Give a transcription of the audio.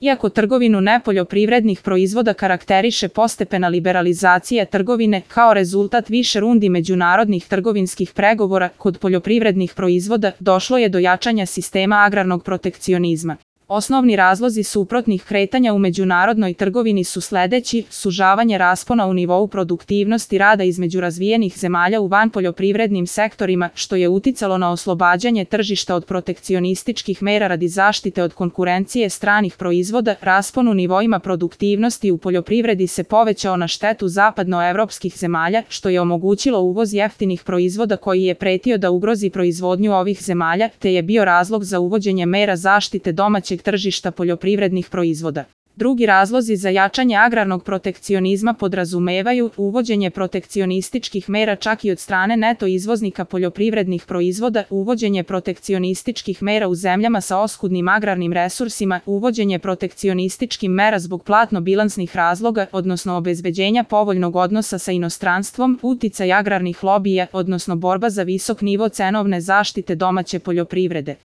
Iako trgovinu nepoljoprivrednih proizvoda karakteriše postepena liberalizacija trgovine kao rezultat više rundi međunarodnih trgovinskih pregovora, kod poljoprivrednih proizvoda došlo je do jačanja sistema agrarnog protekcionizma. Osnovni razlozi suprotnih kretanja u međunarodnoj trgovini su sledeći: sužavanje raspona u nivou produktivnosti rada između razvijenih zemalja u vanpoljoprivrednim sektorima, što je uticalo na oslobađanje tržišta od protekcionističkih mera radi zaštite od konkurencije stranih proizvoda. Raspon u nivoima produktivnosti u poljoprivredi se povećao na štetu zapadnoevropskih zemalja, što je omogućilo uvoz jeftinih proizvoda koji je pretio da ugrozi proizvodnju ovih zemalja, te je bio razlog za uvođenje mera zaštite domaćeg tržišta poljoprivrednih proizvoda. Drugi razlozi za jačanje agrarnog protekcionizma podrazumevaju uvođenje protekcionističkih mera čak i od strane neto izvoznika poljoprivrednih proizvoda, uvođenje protekcionističkih mera u zemljama sa oskudnim agrarnim resursima, uvođenje protekcionističkih mera zbog platno-bilansnih razloga, odnosno obezbeđenja povoljnog odnosa sa inostranstvom, uticaj agrarnih lobija, odnosno borba za visok nivo cenovne zaštite domaće poljoprivrede.